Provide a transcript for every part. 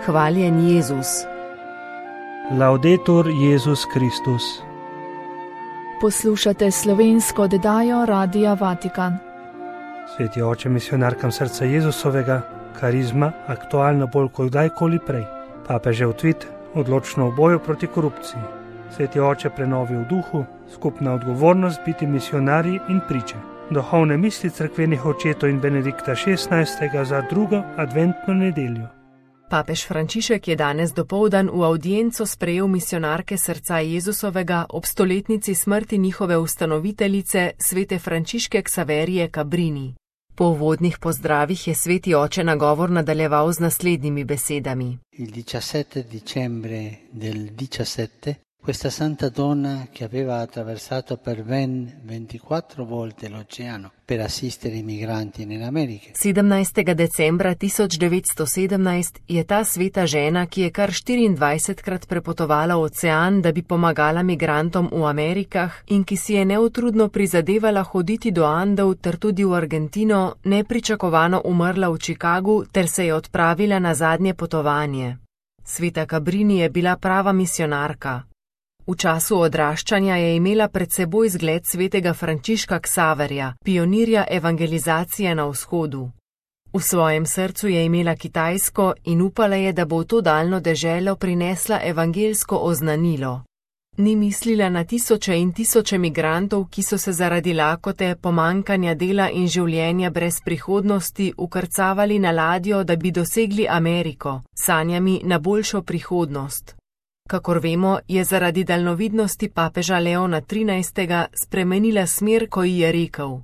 Hvaljen Jezus. Laudetur Jezus Kristus. Poslušate slovensko oddajo Radia Vatikan. Sveti oče misionarkam srca Jezusovega, karizma aktualna bolj kot kdajkoli prej. Papežev tvit, odločno v boju proti korupciji. Sveti oče prenovi v duhu, skupna odgovornost biti misionarji in priče. Duhovne misli cerkvenih očetov in Benedikta XVI. Za drugo adventno nedeljo. Papež Frančišek je danes dopoldan v avdienco sprejel misionarke srca Jezusovega ob stoletnici smrti njihove ustanoviteljice, svete Frančiške Ksaverije Cabrini. Po uvodnih pozdravih je sveti oče nagovor nadaljeval z naslednjimi besedami. Il 17 dicembre del 17, questa santa donna che aveva attraversato per ben 24 volte l'oceano per assistere i migranti in America. 17. decembra 1917 je ta sveta žena, ki je kar 24krat prepotovala ocean, da bi pomagala migrantom v Amerikah in ki si je neutrudno prizadevala hoditi do Andov ter tudi v Argentino, nepričakovano umrla v Chicagu ter se je odpravila na zadnje potovanje. Sveta Cabrini je bila prava misionarka. V času odraščanja je imela pred seboj zgled svetega Frančiška Ksaverja, pionirja evangelizacije na vzhodu. V svojem srcu je imela Kitajsko in upala je, da bo v to daljno deželo prinesla evangelsko oznanilo. Ni mislila na tisoče in tisoče migrantov, ki so se zaradi lakote, pomankanja dela in življenja brez prihodnosti ukrcavali na ladjo, da bi dosegli Ameriko, sanjami na boljšo prihodnost. Kakor vemo, je zaradi daljnovidnosti papeža Leona XIII. Spremenila smer, ko ji je rekel: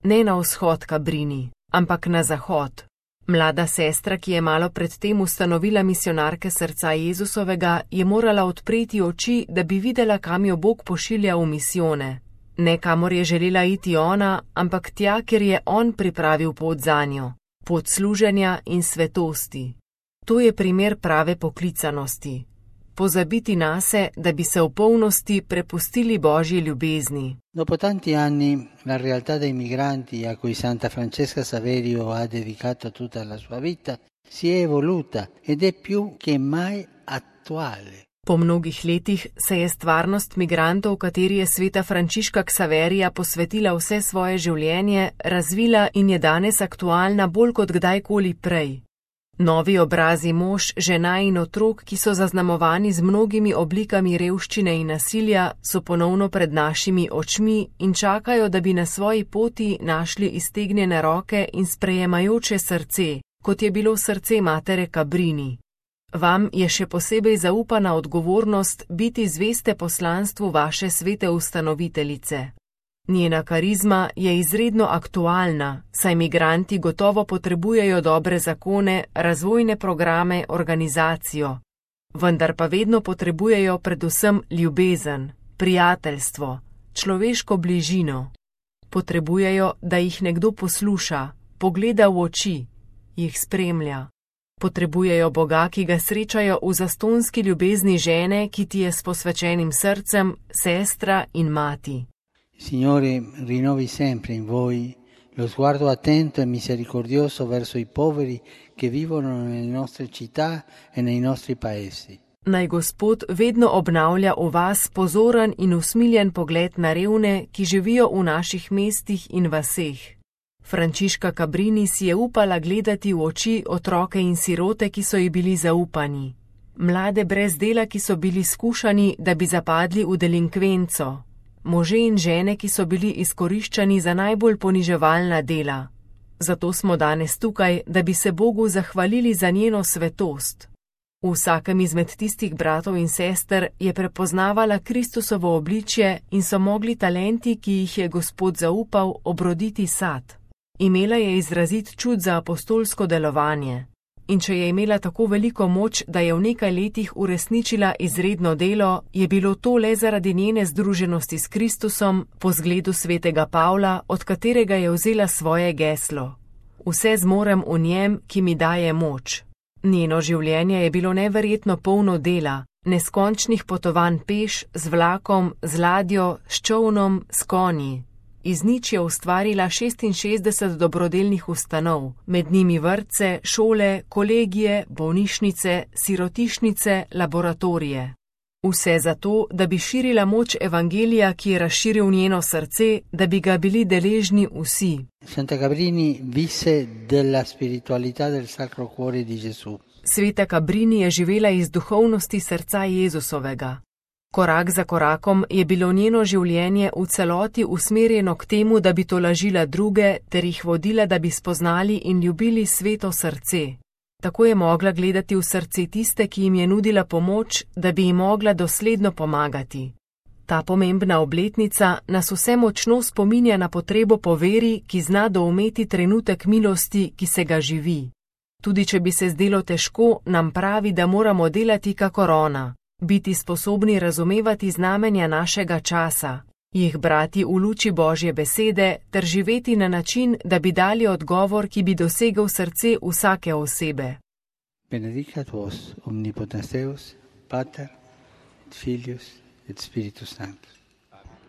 ne na vzhod, Cabrini, ampak na zahod. Mlada sestra, ki je malo predtem ustanovila misionarke srca Jezusovega, je morala odpreti oči, da bi videla, kam jo Bog pošilja v misijone. Ne kamor je želela iti ona, ampak tja, kjer je on pripravil pot zanjo, pot služenja in svetosti. To je primer prave poklicanosti. Pozabiti nase, da bi se v polnosti prepustili Božji ljubezni. Dopo tanti anni, la realtà dei migranti a cui Santa Francesca Saverio ha dedicato tutta la sua vita si è evoluta ed è più che mai attuale. Po mnogih letih se je stvarnost migrantov, kateri je sveta Frančiška Ksaverija posvetila vse svoje življenje, razvila in je danes aktualna bolj kot kdajkoli prej. Novi obrazi mož, žena in otrok, ki so zaznamovani z mnogimi oblikami revščine in nasilja, so ponovno pred našimi očmi in čakajo, da bi na svoji poti našli iztegnjene roke in sprejemajoče srce, kot je bilo srce matere Cabrini. Vam je še posebej zaupana odgovornost biti zveste poslanstvu vaše svete ustanoviteljice. Njena karizma je izredno aktualna, saj migranti gotovo potrebujejo dobre zakone, razvojne programe, organizacijo. Vendar pa vedno potrebujejo predvsem ljubezen, prijateljstvo, človeško bližino. Potrebujejo, da jih nekdo posluša, pogleda v oči, jih spremlja. Potrebujejo Boga, ki ga srečajo v zastonski ljubezni žene, ki ti je s posvečenim srcem, sestra in mati. Signore, rinnovi sempre in voi lo sguardo attento e misericordioso verso i poveri che vivono nelle nostre città e nei nostri paesi. Naj Gospod vedno obnavlja v vas pozoren in usmiljen pogled na revne, ki živijo v naših mestih in vaseh. Frančiška Cabrini si je upala gledati v oči otroke in sirote, ki so ji bili zaupani. Mlade brez dela, ki so bili skušani, da bi zapadli v delinkvenco. Može in žene, ki so bili izkoriščani za najbolj poniževalna dela. Zato smo danes tukaj, da bi se Bogu zahvalili za njeno svetost. V vsakem izmed tistih bratov in sester je prepoznavala Kristusovo obličje in so mogli talenti, ki jih je Gospod zaupal, obroditi sad. Imela je izrazit čut za apostolsko delovanje. In če je imela tako veliko moč, da je v nekaj letih uresničila izredno delo, je bilo to le zaradi njene združenosti s Kristusom po zgledu svetega Pavla, od katerega je vzela svoje geslo. Vse zmorem v njem, ki mi daje moč. Njeno življenje je bilo neverjetno polno dela, neskončnih potovanj peš, z vlakom, z ladjo, s čolnom, s konji. iz nič je ustvarila 66 dobrodelnih ustanov, med njimi vrtce, šole, kolegije, bolnišnice, sirotišnice, laboratorije. Vse zato, da bi širila moč evangelija, ki je razširil njeno srce, da bi ga bili deležni vsi. Santa Cabrini visse della spiritualità del Sacro Cuore di Gesù. Sveta Cabrini je živela iz duhovnosti srca Jezusovega. Korak za korakom je bilo njeno življenje v celoti usmerjeno k temu, da bi tolažila druge ter jih vodila, da bi spoznali in ljubili sveto srce. Tako je mogla gledati v srce tiste, ki jim je nudila pomoč, da bi jim mogla dosledno pomagati. Ta pomembna obletnica nas vse močno spominja na potrebo po veri, ki zna doumeti trenutek milosti, ki se ga živi. Tudi če bi se zdelo težko, nam pravi, da moramo delati kakor ona, biti sposobni razumevati znamenja našega časa, jih brati v luči Božje besede ter živeti na način, da bi dali odgovor, ki bi dosegel srce vsake osebe. Benedicat vos omnipotens Deus, Pater, et Filius, et Spiritus Sanctus.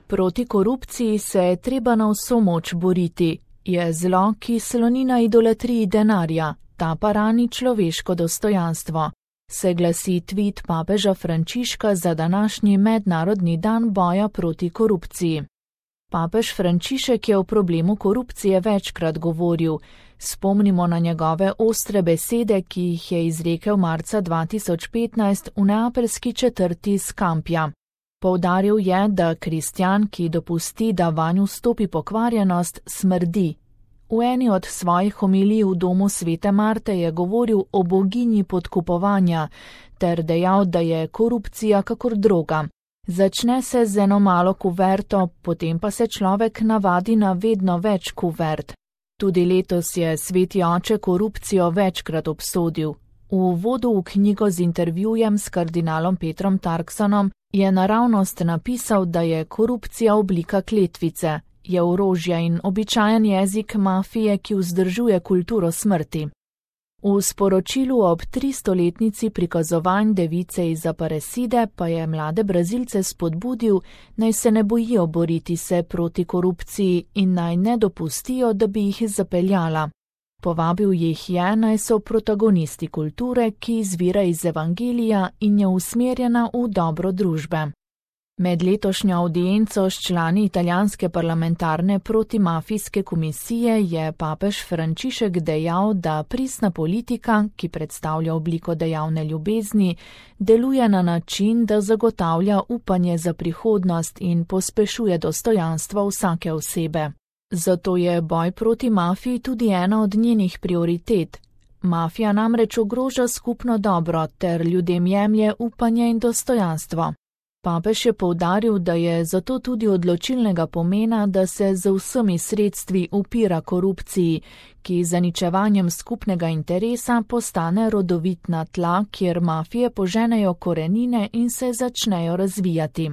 Proti korupciji se je treba na vso moč boriti. Je zlo, ki sloni na idolatriji denarja, ta pa rani človeško dostojanstvo. Se glasi tvit papeža Frančiška za današnji mednarodni dan boja proti korupciji. Papež Frančišek je o problemu korupcije večkrat govoril. Spomnimo na njegove ostre besede, ki jih je izrekel marca 2015 v neapeljski četrti Scampia. Poudaril je, da kristjan, ki dopusti, da vanj vstopi pokvarjenost, smrdi. V eni od svojih homilij v domu Svete Marte je govoril o boginji podkupovanja ter dejal, da je korupcija kakor droga. Začne se z eno malo kuverto, potem pa se človek navadi na vedno več kuvert. Tudi letos je sveti oče korupcijo večkrat obsodil. V uvodu v knjigo z intervjujem s kardinalom Petrom Turksonom je naravnost napisal, da je korupcija oblika kletvice, je orožje in običajen jezik mafije, ki vzdržuje kulturo smrti. V sporočilu ob 300-letnici prikazovanj device iz Aparecide pa je mlade Brazilce spodbudil, naj se ne bojijo boriti se proti korupciji in naj ne dopustijo, da bi jih zapeljala. Povabil jih je, naj so protagonisti kulture, ki izvira iz evangelija in je usmerjena v dobro družbe. Med letošnjo audienco s člani italijanske parlamentarne protimafijske komisije je papež Frančišek dejal, da pristna politika, ki predstavlja obliko dejavne ljubezni, deluje na način, da zagotavlja upanje za prihodnost in pospešuje dostojanstvo vsake osebe. Zato je boj proti mafiji tudi ena od njenih prioritet. Mafija namreč ogroža skupno dobro ter ljudem jemlje upanje in dostojanstvo. Papež je poudaril, da je zato tudi odločilnega pomena, da se z vsemi sredstvi upira korupciji, ki z zaničevanjem skupnega interesa postane rodovitna tla, kjer mafije poženejo korenine in se začnejo razvijati.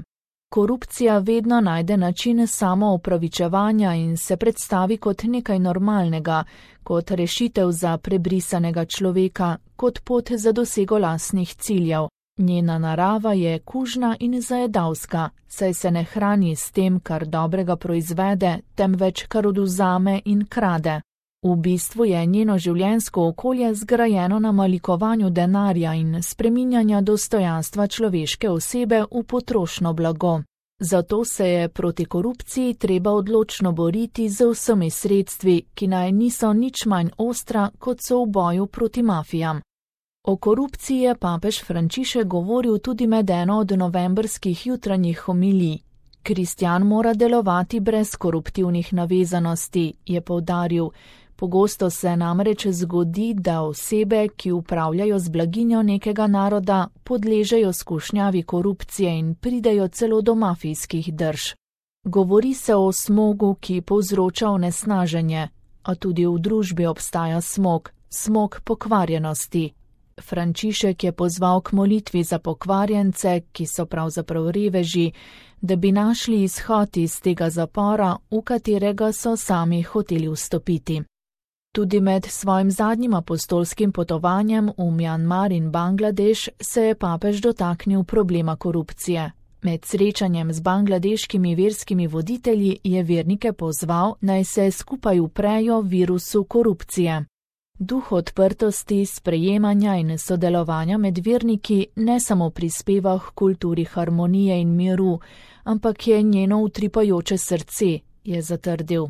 Korupcija vedno najde način samoopravičevanja in se predstavi kot nekaj normalnega, kot rešitev za prebrisanega človeka, kot pot za dosego lastnih ciljev. Njena narava je kužna in zajedavska, saj se ne hrani s tem, kar dobrega proizvede, temveč kar odvzame in krade. V bistvu je njeno življenjsko okolje zgrajeno na malikovanju denarja in spreminjanja dostojanstva človeške osebe v potrošno blago. Zato se je proti korupciji treba odločno boriti z vsemi sredstvi, ki naj niso nič manj ostra, kot so v boju proti mafijam. O korupciji je papež Frančišek govoril tudi med eno od novembrskih jutranjih homilij. Kristjan mora delovati brez koruptivnih navezanosti, je poudaril. Pogosto se namreč zgodi, da osebe, ki upravljajo z blaginjo nekega naroda, podležejo skušnjavi korupcije in pridejo celo do mafijskih drž. Govori se o smogu, ki povzroča onesnaženje, a tudi v družbi obstaja smog, smog pokvarjenosti. Frančišek je pozval k molitvi za pokvarjence, ki so pravzaprav reveži, da bi našli izhod iz tega zapora, v katerega so sami hoteli vstopiti. Tudi med svojim zadnjim apostolskim potovanjem v Mjanmar in Bangladeš se je papež dotaknil problema korupcije. Med srečanjem z bangladeškimi verskimi voditelji je vernike pozval, naj se skupaj uprejo virusu korupcije. Duh odprtosti, sprejemanja in sodelovanja med verniki ne samo prispeva k kulturi harmonije in miru, ampak je njeno utripajoče srce, je zatrdil.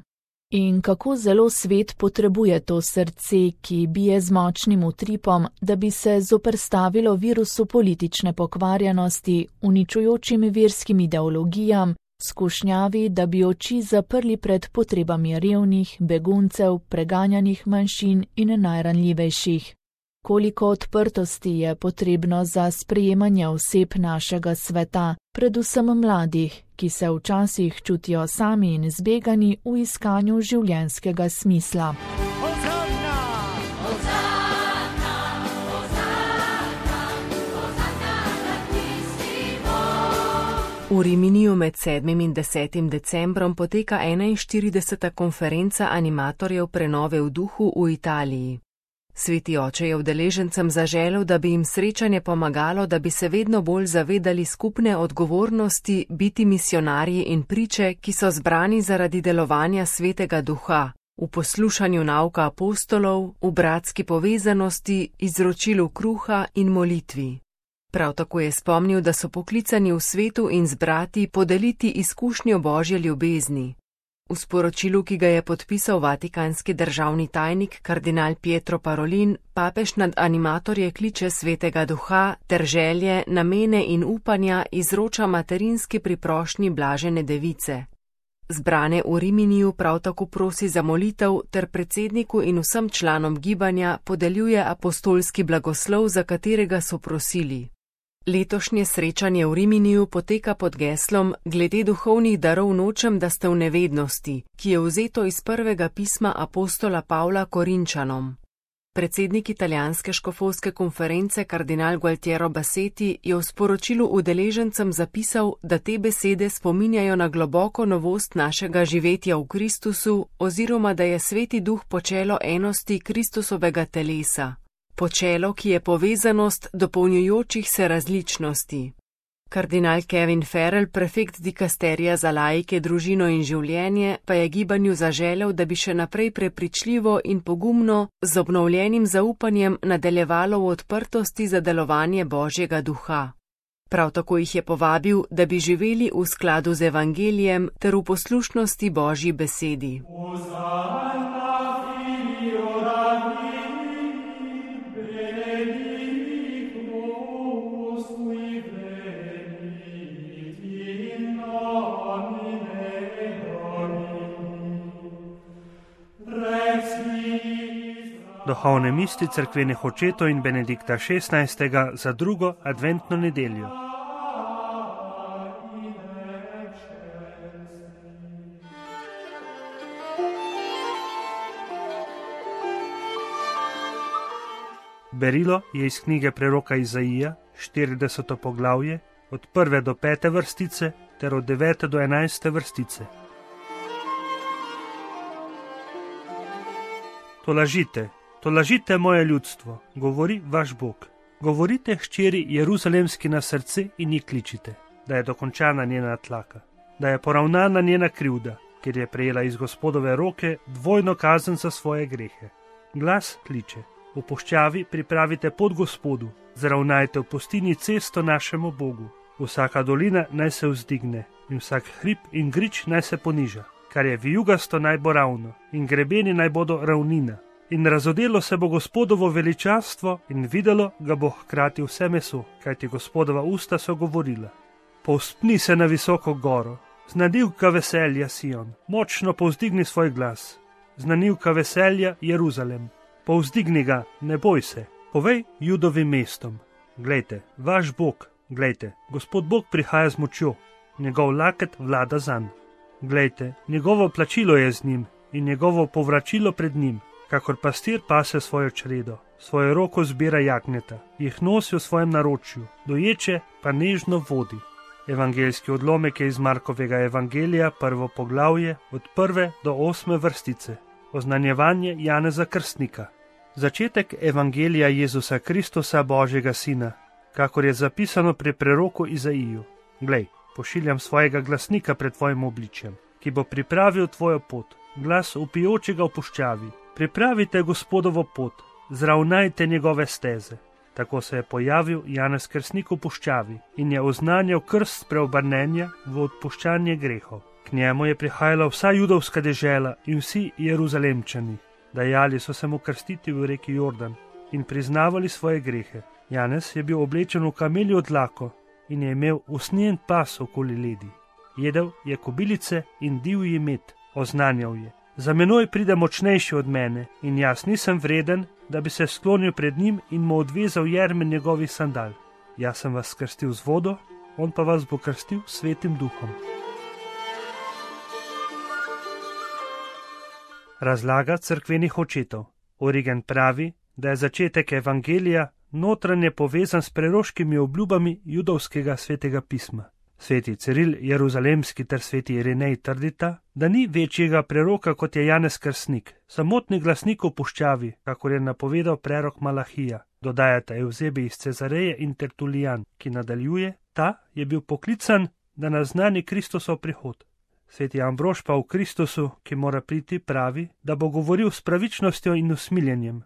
In kako zelo svet potrebuje to srce, ki bije z močnim utripom, da bi se zoperstavilo virusu politične pokvarjenosti, uničujočim verskim ideologijam, skušnjavi, da bi oči zaprli pred potrebami revnih, beguncev, preganjanih manjšin in najranljivejših. Koliko odprtosti je potrebno za sprejemanje oseb našega sveta, predvsem mladih, ki se včasih čutijo sami in zbegani v iskanju življenjskega smisla. V Riminiju med 7. in 10. decembrom poteka 41. konferenca animatorjev prenove v duhu v Italiji. Sveti oče je udeležencem zaželel, da bi jim srečanje pomagalo, da bi se vedno bolj zavedali skupne odgovornosti biti misionarji in priče, ki so zbrani zaradi delovanja Svetega Duha, v poslušanju nauka apostolov, v bratski povezanosti, izročilu kruha in molitvi. Prav tako je spomnil, da so poklicani v svetu in z brati podeliti izkušnjo Božje ljubezni. V sporočilu, ki ga je podpisal vatikanski državni tajnik kardinal Pietro Parolin, papež nad animatorje kliče Svetega Duha ter želje, namene in upanja izroča materinski priprošnji Blažene Device. Zbrane v Riminiju prav tako prosi za molitev ter predsedniku in vsem članom gibanja podeljuje apostolski blagoslov, za katerega so prosili. Letošnje srečanje v Riminiju poteka pod geslom Glede duhovnih darov nočem, da ste v nevednosti, ki je vzeto iz prvega pisma apostola Pavla Korinčanom. Predsednik italijanske škofovske konference kardinal Gualtiero Bassetti je v sporočilu udeležencem zapisal, da te besede spominjajo na globoko novost našega živetja v Kristusu oziroma da je Sveti Duh počelo enosti Kristusovega telesa. Počelo, ki je povezanost dopolnjujočih se različnosti. Kardinal Kevin Farrell, prefekt dikasterija za laike, družino in življenje, pa je gibanju zaželel, da bi še naprej prepričljivo in pogumno, z obnovljenim zaupanjem nadaljevalo v odprtosti za delovanje Božjega Duha. Prav tako jih je povabil, da bi živeli v skladu z evangelijem ter v poslušnosti Božji besedi. Duhovne misli cerkvenih očetov in Benedikta XVI. Za drugo adventno nedeljo. Berilo je iz knjige preroka Izaija, 40. poglavje, od 1. do 5. vrstice ter od 9. do 11. vrstice. Tolažite moje ljudstvo, govori vaš Bog. Govorite hčeri Jeruzalemski na srce in ji kličite, da je dokončana njena tlaka, da je poravnana njena krivda, ker je prejela iz Gospodove roke dvojno kazen za svoje grehe. Glas kliče, v puščavi pripravite pot Gospodu, zravnajte v pustini cesto našemu Bogu. Vsaka dolina naj se vzdigne in vsak hrib in grič naj se poniža, kar je vijugasto naj bo ravno in grebeni naj bodo ravnina. In razodelo se bo Gospodovo veličastvo in videlo ga bo hkrati vse meso, kajti Gospodova usta so govorila. Povzpni se na visoko goro, znanilka veselja Sion, močno povzdigni svoj glas, znanilka veselja Jeruzalem, povzdigni ga, ne boj se, povej Judovim mestom. Glejte, vaš Bog, glejte, Gospod Bog prihaja z močjo, njegov laket vlada zanj. Glejte, njegovo plačilo je z njim in njegovo povračilo pred njim. Kakor pastir pase svojo čredo, svojo roko zbira jagnjeta, jih nosi v svojem naročju, doječe pa nežno vodi. Evangeljski odlomek je iz Markovega evangelija, 1. poglavje, od 1. do 8. vrstice. Oznanjevanje Janeza Krstnika. Začetek evangelija Jezusa Kristusa, Božjega Sina, kakor je zapisano pri preroku Izaiju. Glej, pošiljam svojega glasnika pred tvojim obličjem, ki bo pripravil tvojo pot, glas vpijočega v puščavi. Pripravite Gospodovo pot, zravnajte njegove steze. Tako se je pojavil Janez Krstnik v puščavi in je oznanjal krst spreobrnenja v odpuščanje grehov. K njemu je prihajala vsa judovska dežela in vsi Jeruzalemčani. Dajali so se mu krstiti v reki Jordan in priznavali svoje grehe. Janez je bil oblečen v kameljo dlako in je imel usnjen pas okoli ledi. Jedel je kobilice in divji med, oznanjal je: za menoj pride močnejši od mene in jaz nisem vreden, da bi se sklonil pred njim in mu odvezal jermen njegovih sandal. Jaz sem vas krstil z vodo, on pa vas bo krstil s Svetim duhom. Razlaga cerkvenih očetov. Origen pravi, da je začetek evangelija notranje povezan s preroškimi obljubami judovskega svetega pisma. Sveti Ciril Jeruzalemski ter sveti Irinej trdita, da ni večjega preroka kot je Janez Krstnik, samotni glasnik v puščavi, kakor je napovedal prerok Malahija. Dodajata Evzebi iz Cezareje in Tertulijan, ki nadaljuje: ta je bil poklican, da naznani Kristusov prihod. Sveti Ambrož pa v Kristusu, ki mora priti, pravi, da bo govoril s pravičnostjo in usmiljenjem,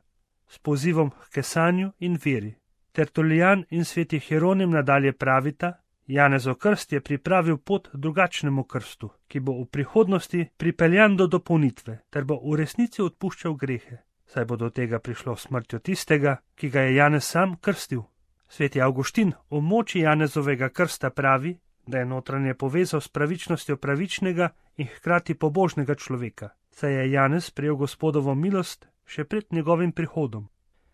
s pozivom k kesanju in veri. Tertulijan in sveti Hieronim nadalje pravita: Janezov krst je pripravil pot drugačnemu krstu, ki bo v prihodnosti pripeljan do dopolnitve, ter bo v resnici odpuščal grehe, saj bo do tega prišlo smrtjo tistega, ki ga je Janez sam krstil. Sveti Avguštin o moči Janezovega krsta pravi, da je notranje povezal s pravičnostjo pravičnega in hkrati pobožnega človeka, saj je Janez prejel Gospodovo milost še pred njegovim prihodom.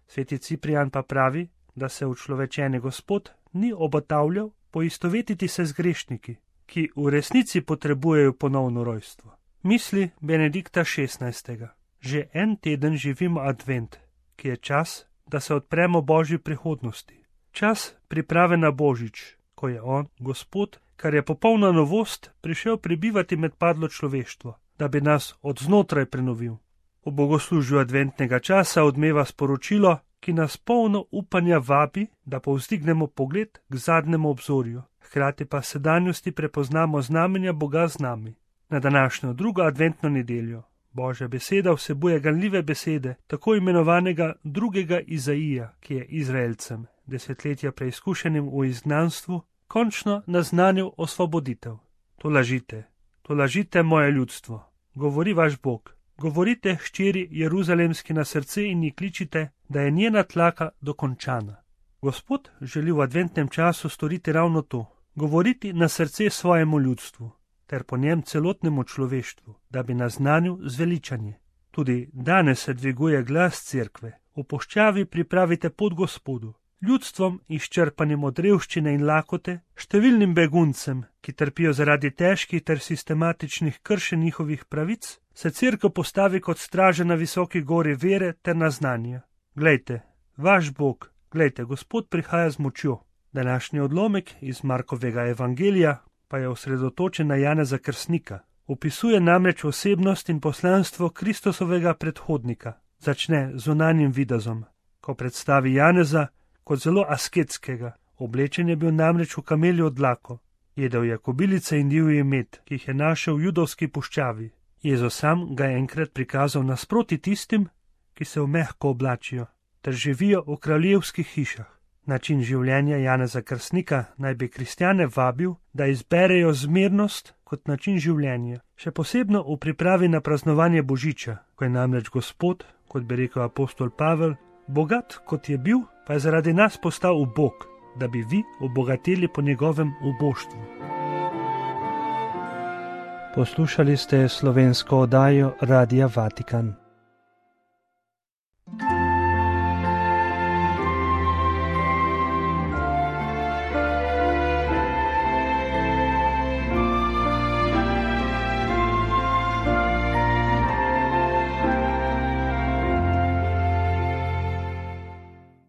Sveti Ciprijan pa pravi, da se učlovečeni Gospod ni obotavljal poistovetiti se z grešniki, ki v resnici potrebujejo ponovno rojstvo. Misli Benedikta XVI. Že en teden živimo advent, ki je čas, da se odpremo Božji prihodnosti. Čas priprave na Božič, ko je on, Gospod, kar je popolna novost, prišel prebivati med padlo človeštvo, da bi nas od znotraj prenovil. V bogoslužju adventnega časa odmeva sporočilo, ki nas polno upanja vabi, da povzdignemo pogled k zadnjemu obzorju, hkrati pa sedanjosti prepoznamo znamenja Boga z nami. Na današnjo drugo adventno nedeljo Božja beseda vsebuje ganljive besede tako imenovanega drugega Izaija, ki je Izraelcem, desetletja preizkušenim v izgnanstvu, končno naznanil osvoboditev. To lažite moje ljudstvo, govori vaš Bog. Govorite hčeri Jeruzalemski na srce in ji kličite, da je njena tlaka dokončana. Gospod želi v adventnem času storiti ravno to, govoriti na srce svojemu ljudstvu, ter po njem celotnemu človeštvu, da bi naznanil zveličanje. Tudi danes se dviguje glas cerkve. V puščavi pripravite pot Gospodu, ljudstvom izčrpanim od revščine in lakote, številnim beguncem, ki trpijo zaradi težkih ter sistematičnih kršenj njihovih pravic, se cerkev postavi kot straža na visoki gori vere ter naznanja. Glejte, vaš Bog, glejte, Gospod prihaja z močjo. Današnji odlomek iz Markovega evangelija pa je osredotočen na Janeza Krstnika. Opisuje namreč osebnost in poslanstvo Kristusovega predhodnika. Začne z zunanjim videzom, ko predstavi Janeza kot zelo asketskega. Oblečen je bil namreč v kameljo dlako. Jedel je kobilice in divji med, ki jih je našel v judovski puščavi. Jezus sam ga je enkrat prikazal nasproti tistim, ki se v mehko oblačijo, ter živijo v kraljevskih hišah. Način življenja Janeza Krstnika naj bi kristjane vabil, da izberejo zmernost kot način življenja, še posebno v pripravi na praznovanje Božiča, ko je namreč Gospod, kot bi rekel apostol Pavel, bogat kot je bil, pa je zaradi nas postal ubog, da bi vi obogateli po njegovem uboštvu. Poslušali ste slovensko oddajo Radia Vatikan.